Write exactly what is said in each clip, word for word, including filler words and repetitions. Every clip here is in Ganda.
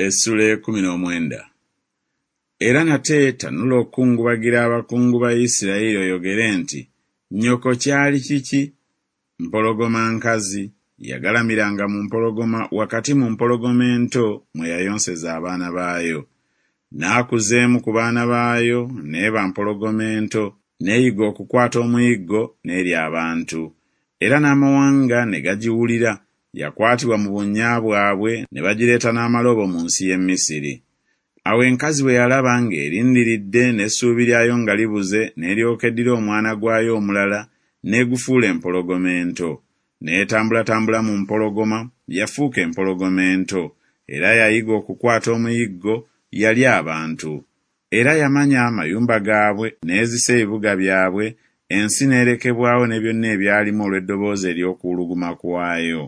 Essula ekumi n'omwenda. Era nate tanula okukungubagira abakungu ba Isirayiri oyogere nti Nnyoko kyali kiki? Mpologoma nkazi, yagalamiranga mu mpologoma wakati mu mpologoma ento mwe yayonseza abaana baayo. N'akuza emu ku baana baayo n'eba mpologoma ento, n'eyiga okukwata omuyiggo n'erya abantu. Era n'amawanga ne gagiwulira, yakwatibwa mu bunnya bwabwe ne bagireeta n'amalobo mu nsi y'e Misiri. Awo enkazi bwe yalaba ng'erindiridde n'essuubi lyayo nga libuze n'eryoka eddira omwana gwayo omulala n'egufuula empologoma ento. N'etambulatambula mu mpologoma, yafuuka empologoma ento, era yayiga okukwata omuyiggo, yalya abantu. Era yamanya amayumba gaabwe n'ezisa ebibuga byabwe, ensi n'erekebwawo ne byonna ebyalimu olw'eddoboozi ery'okuwuluguma kwayo.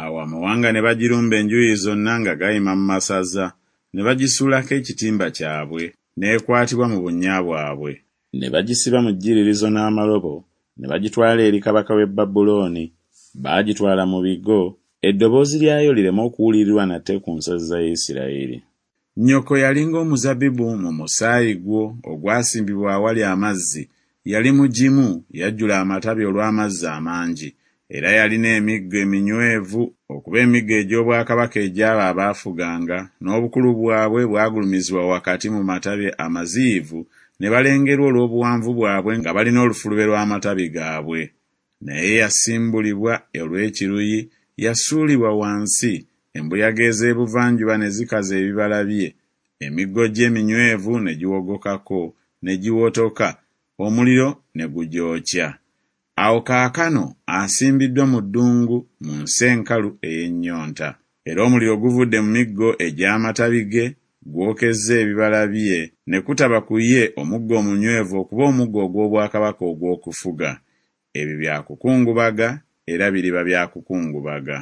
Awo amawanga ne bagirumba enjuuyi zonna nga gayima mu masaza, ne bagisuulako ekitimba kyabwe, n'ekwatibwa mu bunnya bwabwe. Ne bagisiba mu jjiririzo n'amalobo, ne bagitwala eri kabaka w'e Babulooni, baagitwala mu bigo, eddoboozi lyayo lireme okuwulirwa nate ku nsozi za Isirayiri. Nnyoko yali ng'omuzabbibu mu musaayi gwo ogwasimbibwa awali amazzi, yali mugimu, yajjula amatabi olw'amazzi amangi. Era yalina emiggo eminywevu okuba emiggo egy'obwakabaka egy'abo abaafuganga, n'obukulu bwabwe bwagulumizibwa wakati mu matabi amaziyivu ne balengerwa olw'obuwanvu bwabwe nga balina olufulube lw'amatabi gaabwe. Naye yasimbulibwa olw'ekiruyi, yasuulibwa wansi, embuyaga ez'ebuvanjuba ne zikaza ebibala bye, emiggo gye eminywevu ne giwogokako ne giwotoka, omuliro ne gugyokya. Awo kaakano asimbiddwa mu ddungu mu nsi enkalu ey'ennyonta. Era omuliro guvudde mu miggo egy'amatabi ge, gwokezza ebibala bye, ne kutaba ku ye omuggo omunywevu okuba omuggo ogw'obwakabaka ogw'okufuga. Ebyo bya kukungubaga era biriba bya kukungubaga.